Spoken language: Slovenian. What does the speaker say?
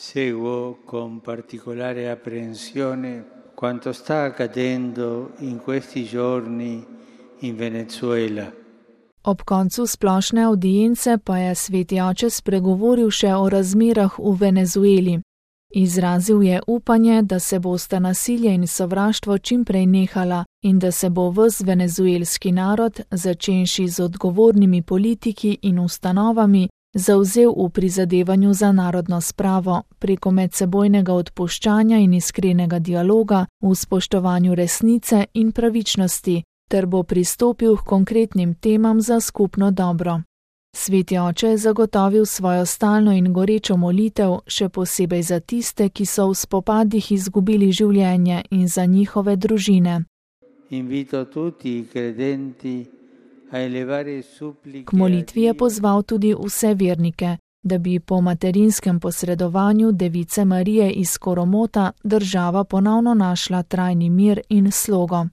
Seguo con particolare apprensione quanto sta accadendo in questi giorni in Venezuela. Ob koncu splošne avdience pa je sveti oče spregovoril še o razmerah v Venezueli. Izrazil je upanje, da se bosta nasilje in sovraštvo čimprej nehala in da se bo ves venezuelski narod, začenši z odgovornimi politiki in ustanovami, zavzel v prizadevanju za narodno spravo, preko medsebojnega odpuščanja in iskrenega dialoga, v spoštovanju resnice in pravičnosti, ter bo pristopil k konkretnim temam za skupno dobro. Sveti oče je zagotovil svojo stalno in gorečo molitev, še posebej za tiste, ki so v spopadih izgubili življenje in za njihove družine. K molitvi je pozval tudi vse vernike, da bi po materinskem posredovanju Device Marije iz Koromota država ponovno našla trajni mir in slogo.